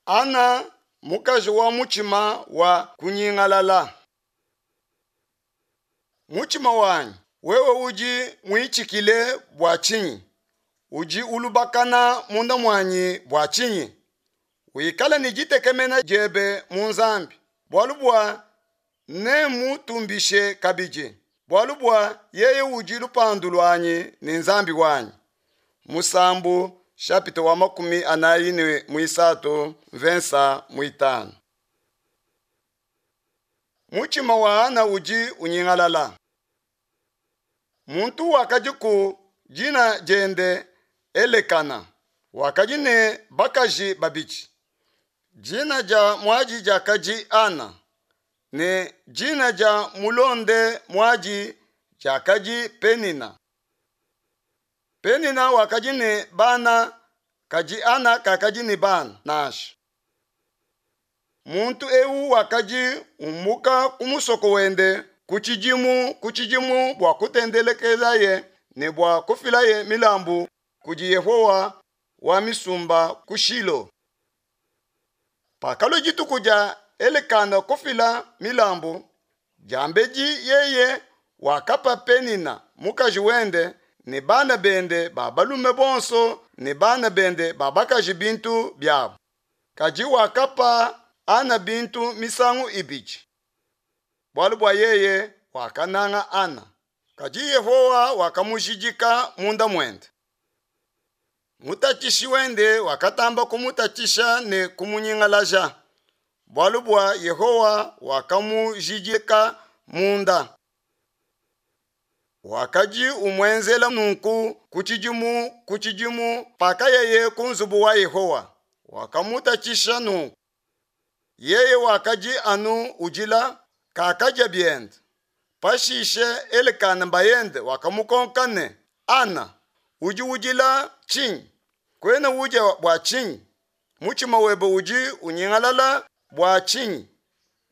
Ana, mukaji wa mutshima wa kunyingalala. Mutshima wanyi, wewe udi muitshikile bua tshinyi? Udi ulubakana munda muanyi bua tshinyi? Wikale ne ditekemena diebe mu Nzambi, bualu bua nemmutumbishe kabidi, bualu bua yeye udi lupandu luanyi ne Nzambi wanyi. Musambu shapita wa 43 mvensa muitanu. Mutshima wa Ana udi unyingalala. Muntu wakadiku dina diende Elekana, wakadi ne bakaji babidi. Dina dia muadi diakadi Ana, ne dina dia mulonde muadi diakadi Penina. Penina wakadi ne bana, kadi Ana kakadi ne bana nansha. Muntu eu wakadi umuka ku musoko wende ku tshidimu ku tshidimu bua kutendelekelaye ne bua kufilaye milambu kudi Yehowa wa misumba ku Shilo. Pakalua dituku dia Elekana kufila milambu, diambedi yeye wakapa Penina mukaji wende ne bana bende ba balume bonso ne bana bende ba bakaji bintu biabu. Kadi wakapa Ana bintu misangu ibidi, bualu bua yeye wakananga Ana. Kadi Yehowa wakamujidika munda muende. Mutatshishi wende wakatamba kumutatshisha ne kumunyingalaja, bualu bua Yehowa wakamujidika munda. Wakadi umuenzela nunku ku tshidimu ku tshidimu pakayaye ku nzubu wa Yehowa, wakamutatshisha nunku. Yeye wakadi anu udila, kakadia biende. Pashishe Elekana bayende wakamukonka ne, Ana, udi udila tshinyi? Kuena udia bua tshinyi? Mutshima webe udi unyingalala bua tshinyi?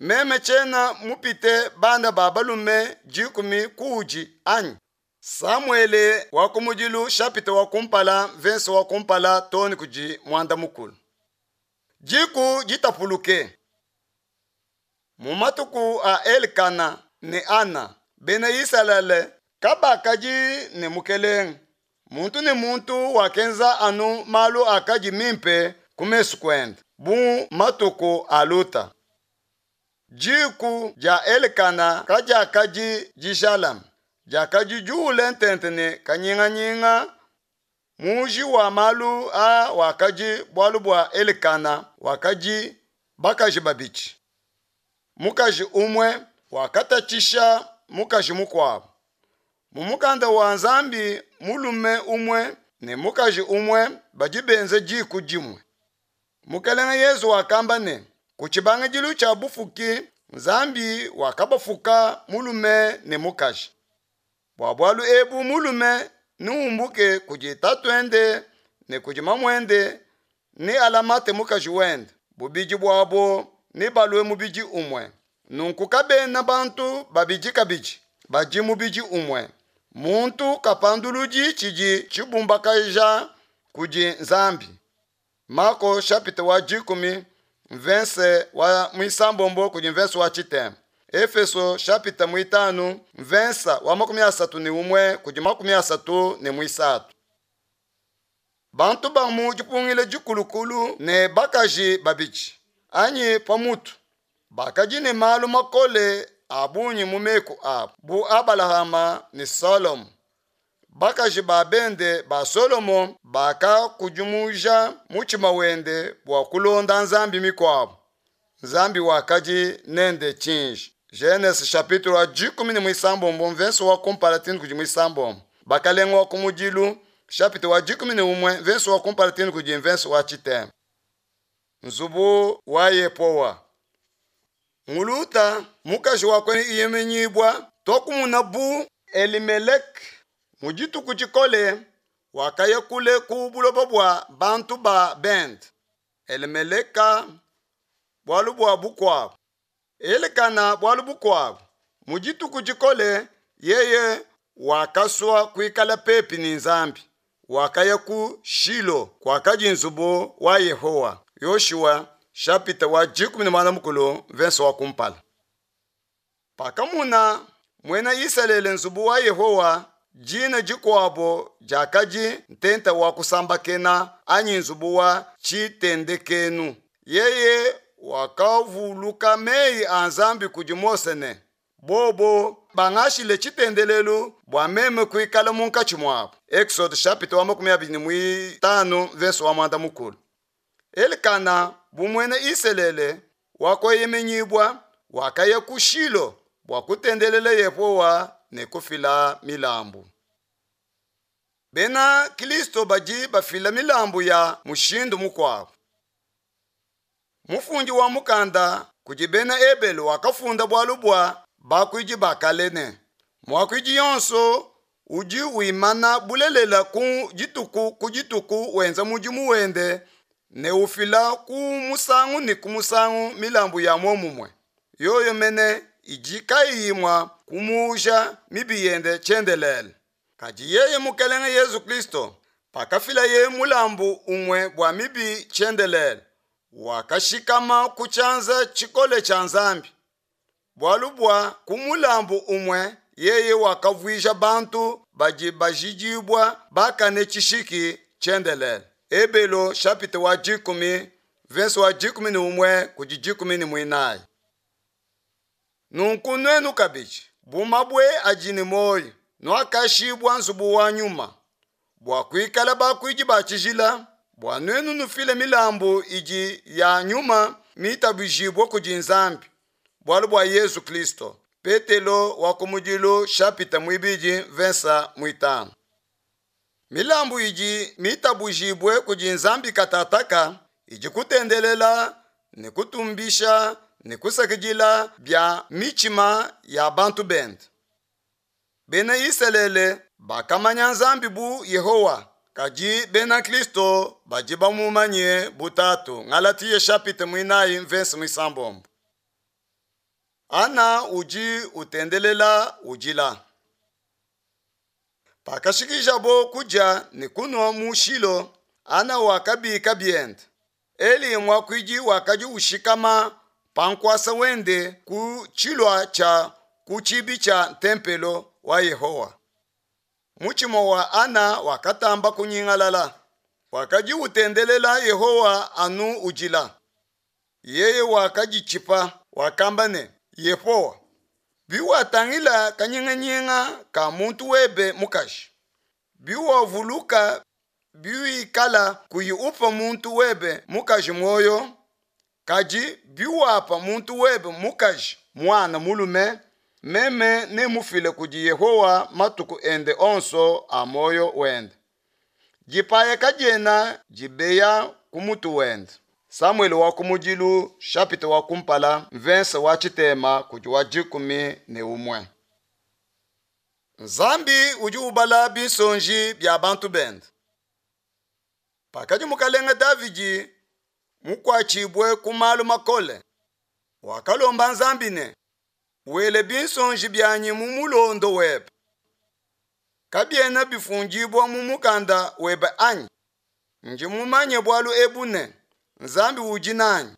Meme tshiena mupite bana ba balume 10 kuudi anyi? Samuele wa kumudilu shapita wa kumpala mvensa wa kumpala too kudi muanda mukulu. Diku ditapuluke. Mu matuku a Elkana ne Ana, bena Isalele kabakadi ne mukelenge. Muntu ne muntu wakenza anu malu akadi mimpe ku mesu kuende, bu matuku a Luta. Diku dia Elkana kadiakadi dijalame, diakadi diule ntente ne kanyinganyinga. Muji wa malu aa wakadi bualu bua Elekana wakadi bakaji babidi. Mukaji umue wakatatshisha mukaji mukuabu. Mu mukanda wa Nzambi mulume umue ne mukaji umue badi benza diku dimue. Mukelenge Yezu wakamba ne, ku tshibangidilu tshia bufuki Nzambi wakabafuka mulume ne mukaji. Bua bualu ebu mulume neumbuke kudi tatuende ne kudi mamuende ne alamate mukaji wende, bubidi buabo nebalue mubidi umue. Nunku kabena bantu babidi kabidi, badi mubidi umue. Muntu kapanduludi tshidi tshibumbakaja kudi Nzambi. Mako chapitre wa 10 mvense wa mwisambombo kudi mvense wa chitema. Efeso chapitre mwitanu mvensa wa 31 kudi 33. Bantu ba mu dipungile dikulukulu ne bakaji babidi anyi pamutu bakadi ne malu makole a bungi mu meku abu bu Abalahama ne Solomo. Bakaji ba bende ba Solomo bakakudimuja mutshima wende bua kulonda nzambi mikuabu. Nzambi wakadi nende tshinji. Genese chapitre wa 17 mvenso wa kumpala tinu kudi mwisambombo. Bakalenga wa kumudilu chapitre wa 11 mvenso wa kumpala tinu kudi mvenso wa chitema. Nzubu wa Yepowa. Muluta mukaji wa kueyemenyibwa tokumuna bu Elimelek mu dituku dikole wakaya kule ku buloba bua bantu ba bende. Elimeleka bualu bua bukuabu. Elekana bualu bukuabu. Mu dituku dikole yeye wakasua kuikala pepi ne Nzambi. Wakaya ku Shilo kuakadi nzubu wa Yehowa. Yoshua shapita wa 14 mvese wa kumpala. Pakamona muena Isalele nzubu wa Yehowa, dina dikuabo diakadi ntenta wa kusambakena anyi nzubu wa tshitendekenu, yeye wakavuluka meyi a Nzambi kudi Mose ne, Bobo bangashile tshitendelelu bua meme kuikala munkatshi muabo. Exode chapitre wa 25 verse wa 10. Elikana bu muena Isalele wa kueyemenyibua wakaya ku Shilo bua kutendelela Yehowa ne kufila milambu. Bena Kristo badi bafila milambu ya mushindu mukuabu. Mufundi wa mukanda kudi bena Ebelu wakafunda bualu bua bakuidi ba kale ne, muakuidi yonso udi wimana bulelela ku dituku ku dituku wenza mudimu wende ne ufila ku musangu ne ku musangu milambu ya muomumue, yoyo mene idi kayiyi mua kumuuja mibi yende tshiendelele. Kadi yeye Mukelenge Yezu Kristo, pakafilaye mulambu umue bua mibi tshiendelele, wakashikama ku tshianza tshikole tshia Nzambi. Bualu bua ku mulambu umue yeye wakavuija bantu badi bajidibua bakane tshishiki tshiendelele. Ebelo chapitre wa 10 verse wa 11 kudi 14. Nunku nuenu kabidi, bu mabue adi ne muoyo, nuakashibua nzubu wa nyuma, bua kuikala bakuidi ba tshijila, bua nuenu nufile milambu idi ya nyuma mitabujibue kudi Nzambi, bualu bua Yezu Kristo. Petelo wa kumudilu chapitre muibidi verse muitanu. Milambu idi mitabujibue kudi Nzambi katataka idi kutendelela ne kutumbisha ne kusakidila bia mitshima ya bantu bende. Bena Isalele bakamanya Nzambi bu Yehowa, kadi bena Kristo badi bamumanye bu Tatu. Galatia chapitre muinayi verse muisambombo. Ana udi utendelela udila. Pakashikijabo kudia ne kunua mu Shilo, Ana wakabika biende. Eli muakuidi wakadi ushikama pa nkuasa wende ku tshilua tshia ku tshibi tshia ntempelo wa Yehowa. Mutshima wa Ana wakatamba kunyingalala. Wakadi utendelela Yehowa anu udila. Yeye wakaditshipa, wakamba ne, Yehowa, biwatangila kanyinganyinga ka muntu webe mukaji, biwavuluka biwikala kuyi upa muntu webe mukaji muoyo, kadi biwapa muntu webe mukaji muana mulume, meme nemufile kudi Yehowa matuku ende onso a muoyo wende. Dipaya kadiena dibeya ku mutu wende. Samuele wa kumudilu chapitre wa kumpala verse wa tshitema kudi wa 11. Nzambi udi ubala binsonji bia bantu bende. Pakadi mukalenge Davidi mukuatshibue ku malu makole, wakalomba Nzambi ne, wele binsonji bianyi mu mulondo webe. Kabiena bifundibua mu mukanda webe anyi? Ndi mumanye bualu ebu ne, Nzambi udi nanyi.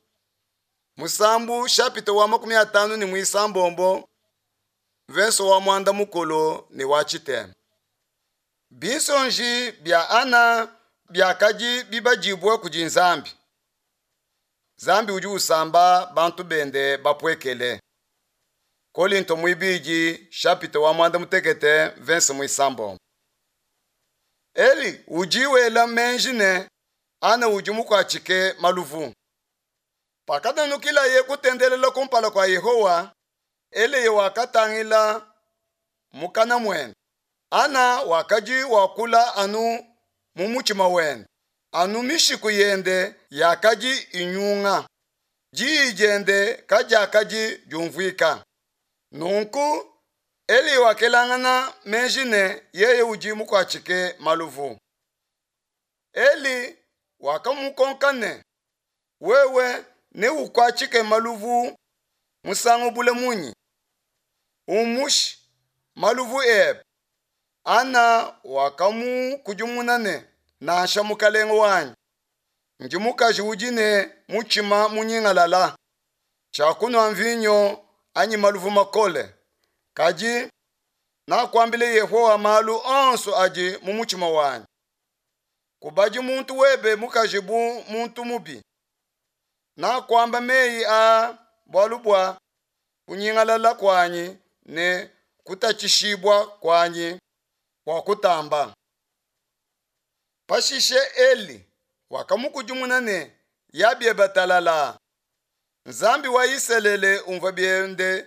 Musambu chapitre wa 56 verse wa 11 ne wa tshitema. Binsonji bia Ana biakadi bibadibue kudi Nzambi. Nzambi udi usamba bantu bende bapuekele. Kolinto muibidi chapitre wa 16 verse muisambombo. Eli udi wela menji ne Ana udi mukuatshike maluvu. Pakanukilaye kutendelela kumpala kua Yehowa, Eli wakatangila mukana muende. Ana wakadi wakula anu mu mutshima wende, anu mishiku yende yakadi inyunga, diyi diende kadiakadi diumvuika. Nunku Eli wakelangana meji ne yeye udi mukuatshike maluvu. Eli wakamukonka ne, wewe neukuatshike maluvu musangu bule munyi? Umushi maluvu ebe. Ana wakamukudimuna ne, nansha mukalenge wanyi. Ndi mukaji udi ne mutshima munyingalala, tshiakunua mvinyo anyi maluvu makole, kadi nakuambila Yehowa malu onso adi mu mutshima wanyi. Kubadi muntu webe mukaji bu muntu mubi. Nakuamba meyi aa bualu bua kunyingalala kuanyi ne kutatshishibua kuanyi kuakutamba. Pashishe Eli wakamukudimuna ne, Ya biebe talalaa, Nzambi wa Isalele umvue biende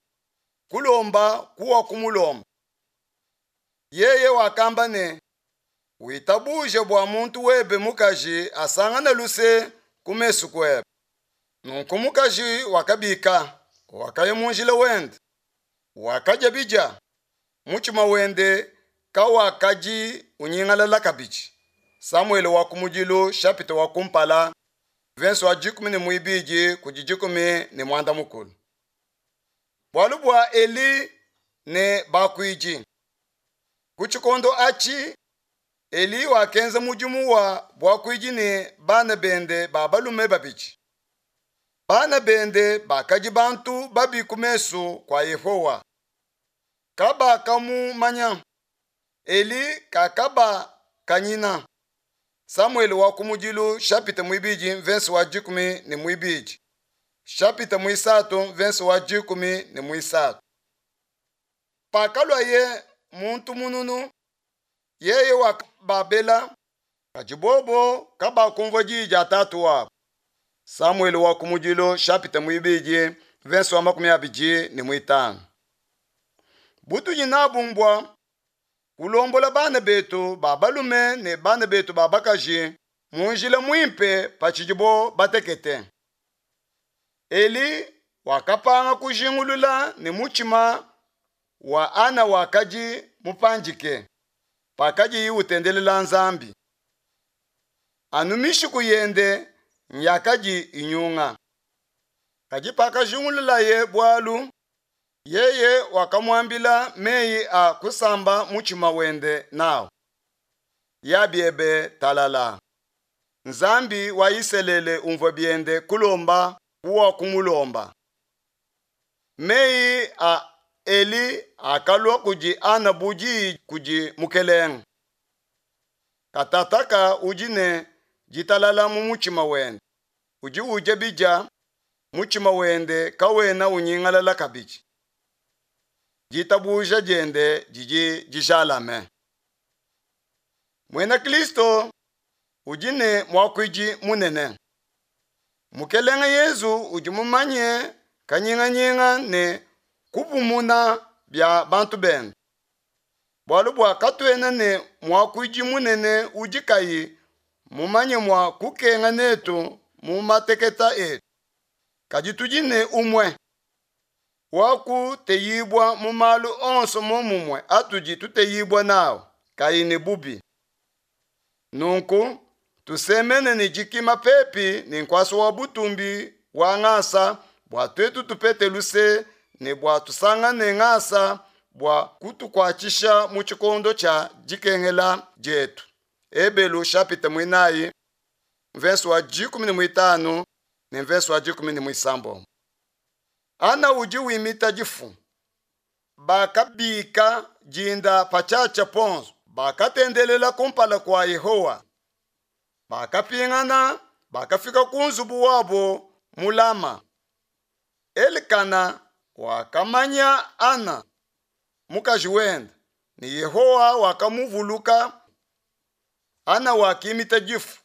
kulomba kuwakumulomba. Yeye wakamba ne, Witabuje bua muntu webe mukaji asangane luse ku mesu kuebe. Nunku mukaji wakabika, wakaya mu njila wende, wakadia bidia, mutshima wende kawakadi unyingalala kabidi. Samuele wa kumudilu shapita wa kumpala verse wa 12 kudi 13. Bualu bua Eli ne bakuidi. Ku tshikondo atshi Eli wakenza mudimu wa buakuidi ne bana bende ba balume babidi. Bana bende bakadi bantu babi ku mesu kua Yehowa. Kabakamumanya. Eli kakabakanyina. Samuele wa kumudilu shapita muibidi mvense wa 12 shapita muisatu mvense wa 13. Pakaluaye muntu mununu, yeye wakababela, kadi bobo kabakumvua diyi dia tatu wabo. Samuele wa kumudilu shapita muibidi mvense wa 25. Butudi nabu mbua kulombola bana betu ba balume ne bana betu ba bakaji mu njila muimpe patshidibo batekete. Eli wakapanga kujingulula ne mutshima wa Ana wakadi mupandike pakadiye utendelela Nzambi. Anu mishiku yende nyakadi inyunga. Kadi pakajingululaye bualu, yeye wakamuambila meyi a kusamba mutshima wende nawu. Ya biebe talala. Nzambi wa Isalele umvue biende kulomba kuwakumulomba. Meyi a Eli akalua kudi Ana bu diyi kudi Mukelenge. Katataka udi ne ditalala mu mutshima wende, udi udia bidia, mutshima wende kawena unyingalala kabidi. Ditabuja diende didi dijalame. Muena Kristo udi ne muakuidi munene. Mukelenge Yezu udi mumanye kanyinganyinga ne kupumuna bia bantu bende. Bualu bua katuena ne muakuidi munene udi kayi mumanye mua kukenga netu mu mateketa etu, kadi tudi ne umue wa kuteyibua mu malu onso momumue atudi tuteyibua nawu, kayi ne bubi. Nunku tusemene ne dikima pepi ne nkuasa wa butumbi wa ngasa bua tuetu tupete luse ne bua tusangane ngasa bua kutukuatshisha mu tshikondo tshia dikengela dietu. Ebelu shapita muinayi mvese wa 15 ne mvese wa 16. Ana udi wimita difu. Bakabika dinda patshiatshia ponso, bakatendelela kumpala kua Yehowa. Bakapingana, bakafika ku nzubu wabo mu Lama. Elikana wakamanya Ana mukaji wende, ne Yehowa wakamuvuluka. Ana wakimita difu,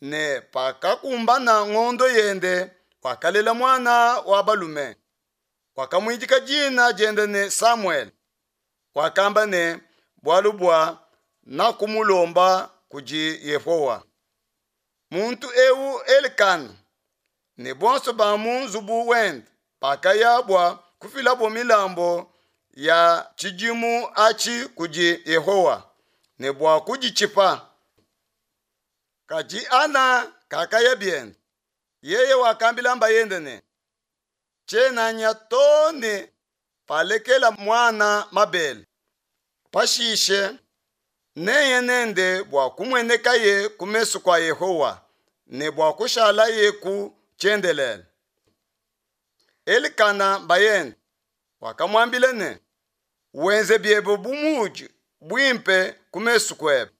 ne pakakumbana ngondo yende, wakalela muana wa balume. Wakamuidika dina diende ne Samuele. Wakamba ne, bualu bua nakumulomba kudi Yehowa. Muntu eu Elikana ne bonso ba mu nzubu wende bakaya bua kufilabo milambo ya tshidimu atshi kudi Yehowa ne bua kuditshipa. Kadi Ana kakaya biende. Yeye wakambila mbayende ne, tshiena nya too ne palekela muana mabele. Pashishe neye nende bua kumuenekaye ku mesu kua Yehowa. ne bua kushalayeku tshiendelele. Elikana bayende wakamuambila ne, Wenze biebe bu mudi buimpe ku mesu kuebe,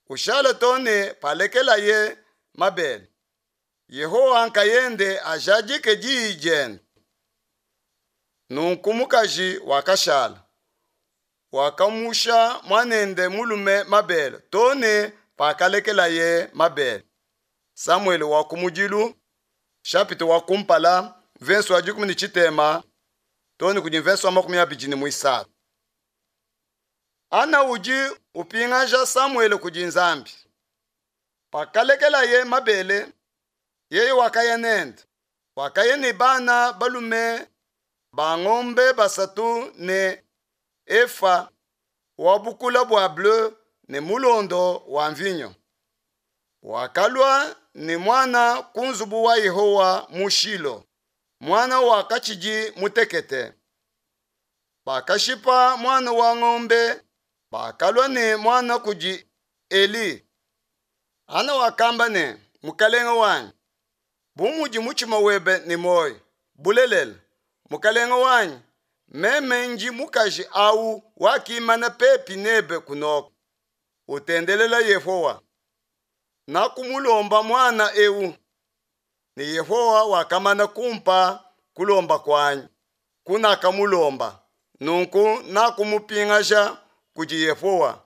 ushale too ne palekelaye mabele. Yehowa nkayende ajadike diyi diende. Nunku mukaji wakashala, wakamusha muanende mulume mabele too ne pakalekelaye mabele. Samuele wa kumudilu, shapita wa kumpala, mvese wa 13 too ne kudi mvese wa 23. Ana udi upingaja Samuele kudi Nzambi. Pakalekelaye mabele, yeye wakaya nende. Wakaya ne bana balume ba ngombe basatu ne efa wa bukula bua bleu ne mulondo wa mvinyo. Wakalua ne muana ku nzubu wa Yehowa mu Shilo. Muana wakatshidi mutekete. Bakashipa muana wa ngombe, bakalua ne muana kudi Eli. Ana wakamba ne, Mukalenge wanyi, bu mudi mutshima webe ne muoyo, bulelela, mukalenge wanyi, meme ndi mukaji au wakimana pepi nebe kunoko, utendelela Yehowa. Nakumulomba muana eu, ne Yehowa wakamana kumpa kulomba kuanyi kunakamulomba. Nunku nakumupingaja kudi Yehowa,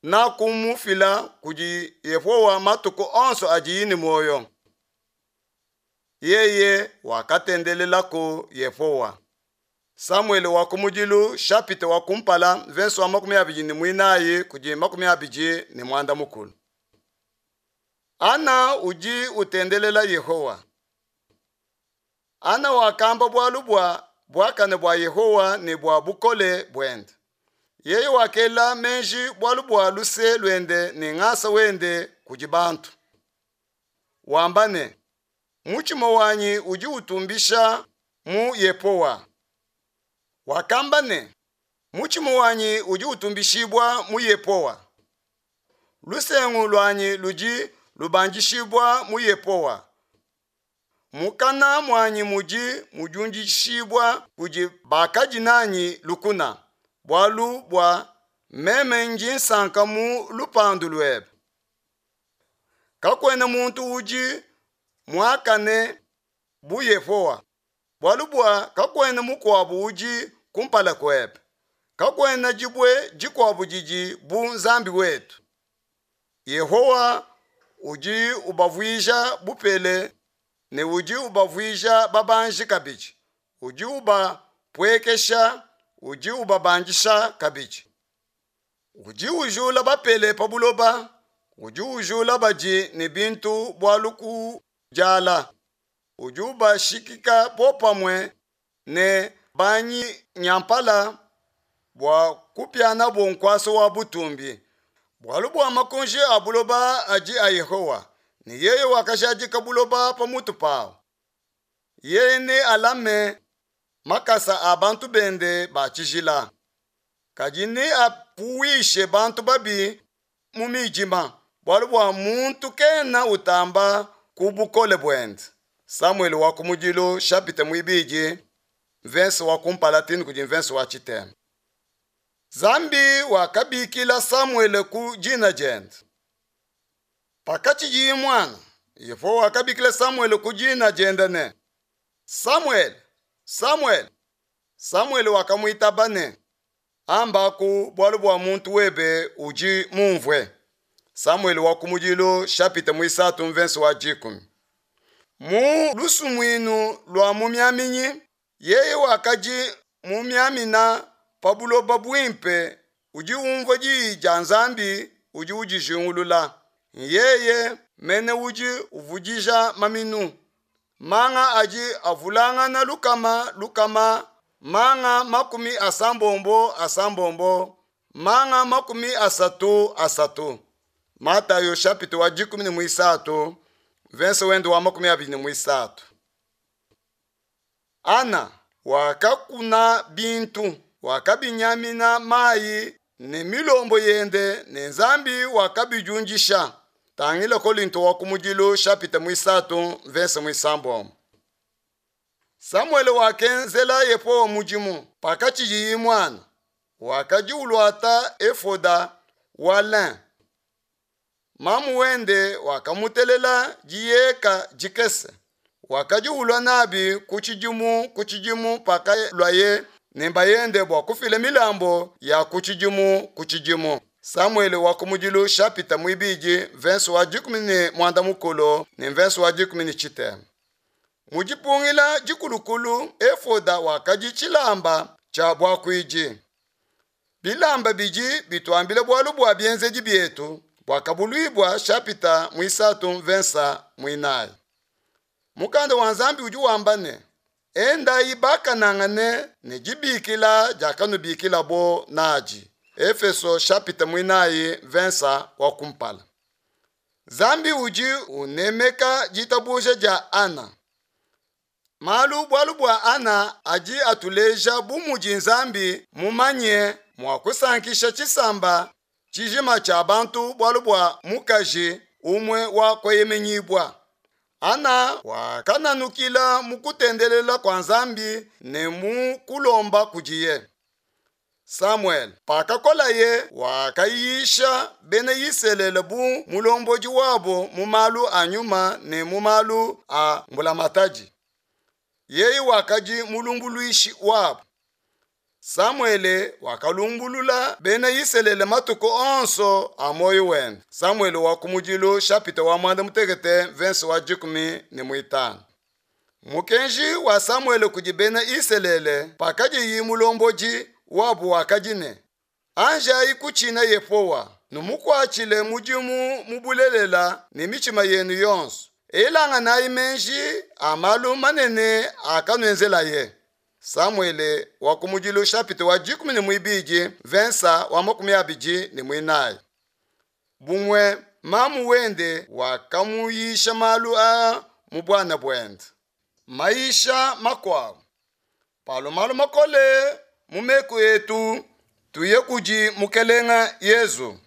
nakumufila kudi Yehowa matuku onso adiyi ne muoyo. Yeye wakatendelelaku Yehowa. Samuele wa kumudilu shapita wa kumpala mvese wa 24 kudi 29. Ana udi utendelela Yehowa. Ana wakamba bualu bua buakane bua Yehowa ne bua bukole buende. Yeye wakela meji bualu bua luse luende ne ngasa wende kudi bantu. Wamba ne, mutshima wanyi udi utumbisha mu Yehowa. Wakamba ne, mutshima wanyi udi utumbishibua mu Yehowa. Lusengu luanyi ludi lubandishibua mu Yehowa. Mukana muanyi mudi mudiundishibua kudi bakadi nanyi lukuna, bualu bua meme ndi nsanka mu lupandu luebe. Kakuena muntu udi muakane bu Yehowa, bualu bua kakuena mukuabu udi kumpala kuebe. Kakuena dibue dikuabu didi bu Nzambi wetu. Yehowa udi ubavuija bupele ne udi ubavuija babanji kabidi, udi ubapuekesha, udi ubabandisha kabidi. Udi ujula bapele pa buloba, udi ujula badi ne bintu bualu ku diala, udi ubashikika popamue ne banyenyampala bua kupianabo nkuasa wa butumbi. Bualu bua makunji a buloba adi a Yehowa, ne yeye wakajadika buloba pa mutu pawu. Yeye nealame makasa a bantu bende ba tshijila, kadi neapuwishe bantu babi mu midima, bualu bua muntu kena utamba ku bukole buende. Samuele wa kumudilu chapitre muibidi mvese wa kumpala tini kudi mvese wa tshitema. Nzambi wakabikila Samuele ku dina diende. Pakatshidiye muana, Yehowa wakabikila Samuele ku dina diende ne, Samuele, Samuele. Samuele wakamuitaba ne, Ambaku bualu bua muntu webe udi mumvue. Samuele wa kumudilu chapitre muisatu mvese wa 10. Mu lusumuinu lua mumiaminyi, yeye wakadi mumiamina pa buloba buimpe udi umvua diyi dia Nzambi udi udijingulula. Yeye mene udi uvudija maminu. Manga adi avulangana lukama lukama, manga 80 asambombo, manga 30 asatu. Matayo chapitre wa 13 verse wende wa 23. Ana wakakuna bintu, wakabinyamina mayi ne milombo yende ne Nzambi wakabidiundisha. Tangila Kolinto wa kumudilu shapita muisatu mvese muisambombo. Samuele wakenzela Yehowa mudimu pakatshidiye muana. Wakadi uluata efoda wa lin. Mamu wende wakamutelela diyeka dikese. Wakadi ulua nabi ku tshidimu ku tshidimu pakaluaye ne bayende bua kufila milambo ya ku tshidimu ku tshidimu. Samuele wa kumudilu shapita muibidi mvese wa 14 ne mvese wa 19. Mu dipungila dikulukulu efoda wakadi tshilamba tshia buakuidi. Bilamba bidi bituambila bualu bua bienzedi bietu Buakabuluibua shapita muisatu mvese muinayi. Mukanda wa Nzambi udi wamba ne, Endayi bakanangane ne dibikila diakanubikilabo nadi. Efeso shapita muinayi mvese wa kumpala. Nzambi udi unemeka ditabuja dia Ana. Malu bualu bua Ana adi atuleja bu mudi Nzambi mumanye mua kusankisha tshisamba tshijima tshia bantu bualu bua mukaji umue wa kueyemenyibua. Ana wakananukila mu kutendelela kua Nzambi ne mu kulomba kudiye. Samuele pakakolaye wakayisha bena Isalele bu mulombodi wabo mu malu a nyuma ne mu malu a mbulamatadi. Yeye wakadi mulumbuluishi wabo. Samuele wakalumbulula bena Isalele matuku onso a muoyo wende. Samuele wa kumudilu shapita wa muanda mutekete mvese wa 15. Mukenji wa Samuele kudi bena Isalele pakadiyi mulombodi wabo wakadi ne, Anjayi kutshina Yehowa, numukuatshile mudimu mu bulelela ne mitshima yenu yonso. Elanganayi meji a malu manene akanuenzelaye. Samuele wa kumudilu shapita wa 12 mvese wa 24. Bumue mamu wende wakamuyisha malu aa mu buana buende. Mayisha makuabu. Palo malu makole mu meku etu tuye kudi Mukelenge Yezu.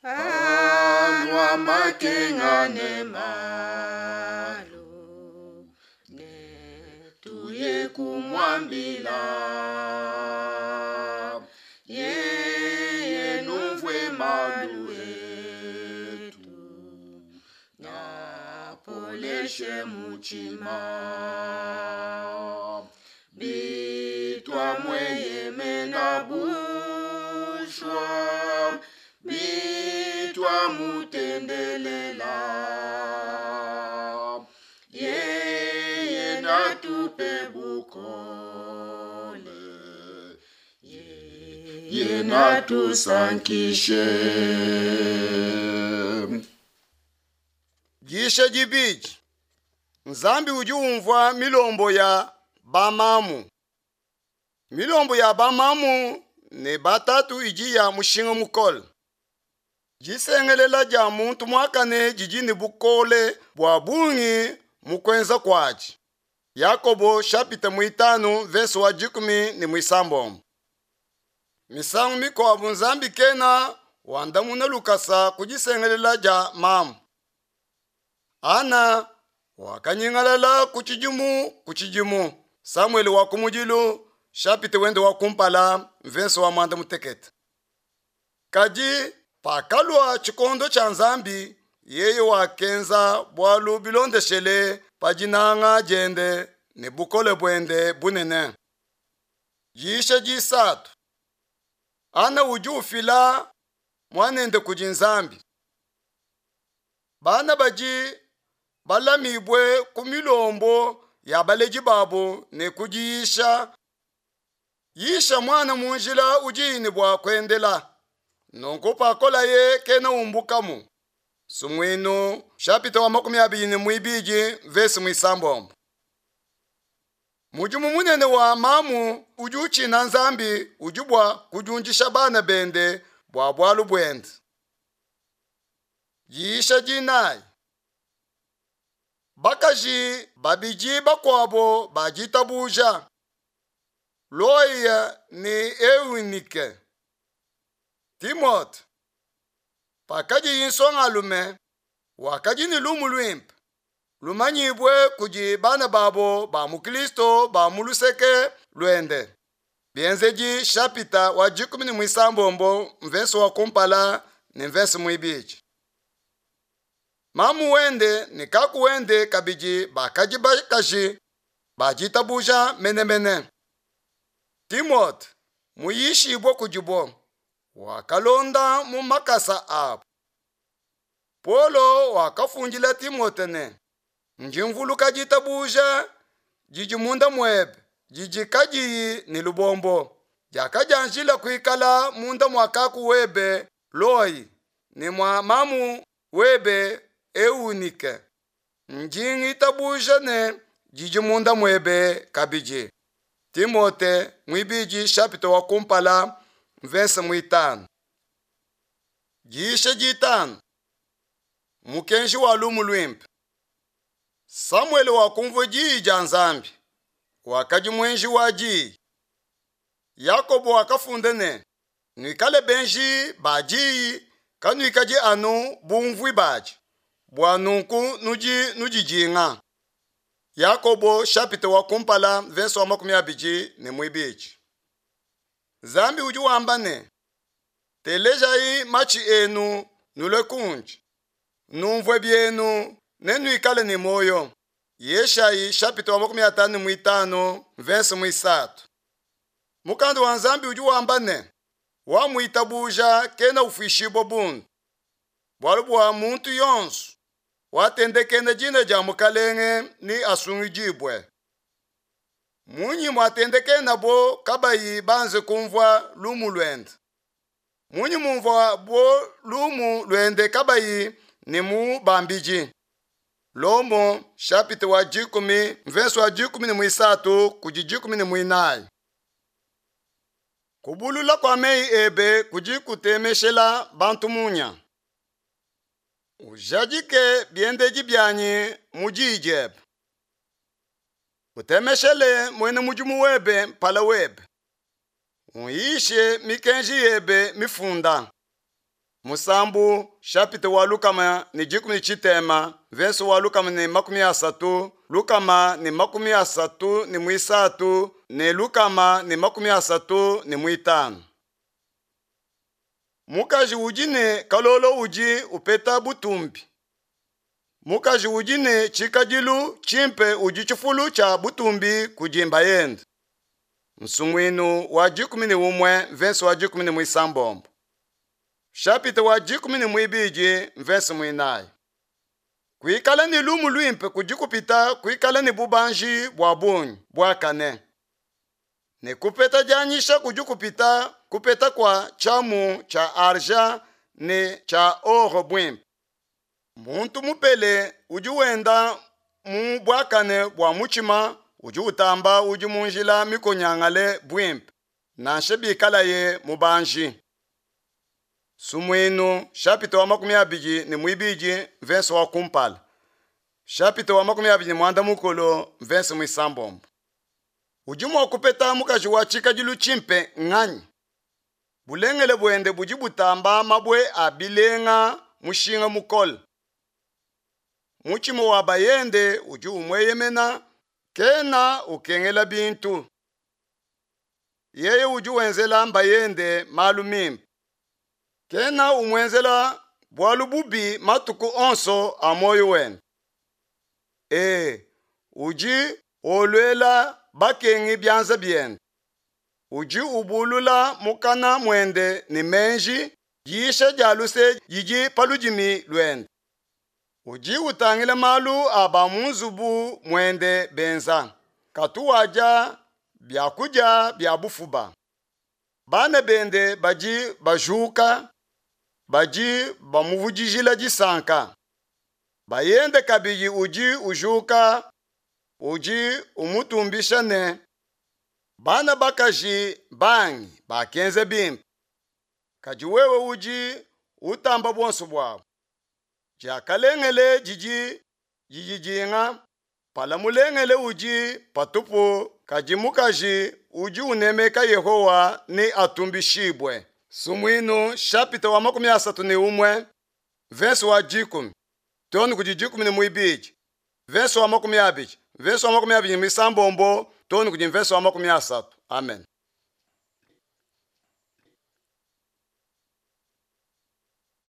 Alua makenga ne malu, ne tuye kumuambila. Yeye numvue malu etu, napoleshe mutshima. Bituamueyemena bushwa, bituamutendelela. Yeye natupe bukole, yeye natusankishe. Diyisha dibidi. Nzambi udi umvua milombo ya bamamu. Milombo ya bamamu ne batatu idi ya mushinga mukole. Disengelela dia muntu muakane didi ne bukole bua bungi mu kuenza kuadi. Yakobo shapita muitanu verse wa 16. Misangu mikuabu Nzambi kena wandamuna lukasa ku disengelela dia mamu. Ana wakanyingalala ku tshidimu ku tshidimu. Samuele wa kumudilu shapita wende wa kumpala mvese wa 16. Kadi pakalua tshikondo tshia Nzambi, yeye wakenza bualu bilondeshele pa dinanga diende ne bukole buende bunene. Diyisha disatu. Ana udi ufila muanende kudi Nzambi. Bana badi balamibue ku milombo ya baledi babu ne ku diyisha. Yisha muana mu njila udi ne bua kuendela. Nunku pakolaye kena umbukamu. Sumuinu shapita wa 22 verse muisambombo. Mudimu munene wa mamu udi utshina Nzambi udi bua kudiundisha bana bende bua bualu buende. Diyisha dinayi. Bakaji babidi bakuabo ba ditabuja, Loya ne Eunike. Timote pakadiye nsongalume, Wakadi ne lumu luimpe lumanyibue kudi bana babo ba mu Kristo ba mu luseke luende. Bienzedi shapita wa dikumi ne muisambombo mvese wa kumpala ne mvese muibidi. Mamu wende ne kaku wende kabidi bakadi bakaji ba ditabuja menemene. Timote muyishibue kudibo wakalonda mu makasa abo. Paulo wakafundila Timote ne, Ndi mvuluka ditabuja didi munda muebe didi kadiyi ne lubombo, diakadianjila kuikala munda mua kaku webe Loi ne mua mamu webe Eunike. Ndi ngitabuja ne didi munda muebe kabidi. Timote muibidi shapita wa kumpala mvese muitanu. Diyisha ditanu. Mukenji wa lumu luimpe. Samuele wakumvua diyi dia Nzambi, wakadi muenji wa diyi. Yakobo wakafunda ne, Nuikale benji ba diyi, kanuikadi anu bumvui badi, bua nunku nudi nudidinga. Yakobo shapita wa kumpala mvese wa 22. Nzambi udi wamba ne, Telejayi matshi enu nulue kundi, numvue bienu ne nuikale ne muoyo. Yeshayi shapita wa 55 mvese muisatu. Mukanda wa Nzambi udi wamba ne, wamuitabuja kena ufuishibua bundu, bualu bua muntu yonso watendekena dina dia Mukalenge ni asungidibue. Munyi muatendekenabo kabayi banze kumvua lumu luende? Munyi mumvua bo lumu luende kabayi ne mubambidi? Lomo shapita wa dikumi mvese wa 13 kudi 14. Kubulula kua meyi ebe kudi kutemeshela bantu munya. Ujadike biendedi bianyi mu diyi diebe. Utemeshele muena mudimu webe mpala webe. Unyishe mikenji yebe mifunda. Musambu shapita wa 160 mvese wa 130 133 ne 135. Mukaji udi ne kalolo udi upeta butumbi. Mukaji udi ne tshikadilu tshimpe udi tshifulu tshia butumbi kudi mbayende. Nsumuinu wa 11 mvese wa 16. Shapita wa 12 mvese muinayi. Kuikala ne lumu luimpe kudi kupita kuikala ne bubanji bua bungi buakane. Ne kupeta dianyisha kudi kupita kupeta kua tshiamu tshia argent ne tshia or buimpe. Muntu mupele udi wenda mu buakane bua mutshima udi utamba udi mu njila mikonyangale buimpe, nansha bikalaye mubanji. Sumuinu shapita wa 22 mvese wa kumpala. Shapita wa 29 mvese muisambombo. Udi mua kupeta mukaji wa tshikadilu tshimpe nganyi? Bulengele buende budi butamba mabue a bilenga mushinga mukole. Mutshima wa bayende udi umueyemena, kena ukengela bintu. Yeye udi wenzela mbayende malu mimpe. Kena umuenzela bualu bubi matuku onso a muoyo wende. E, udi oluela bakengi bianza biende. Udi ubulula mukana muende ne meji, diyisha dia luse didi pa ludimi luende. Udi utangila malu a ba mu nzubu muende benza, katu wadia biakudia bia bufuba. Bana bende badi bajuka, badi bamuvudijila disanka. Bayende kabidi udi ujuka, udi umutumbisha ne, bana bakaji bangi bakenza bimpe, kadi wewe udi utamba buonso buabu. Diakalengele didi dididinga, pala mulengele udi patupu, kadi mukaji udi unemeka Yehowa ne atumbishibue. Sumuinu shapita wa 31 verse wa 10. too ne kudi dikumi ne muibidi, mvese wa 20, mvese wa 21 too ne kudi mvese wa 30. Amen.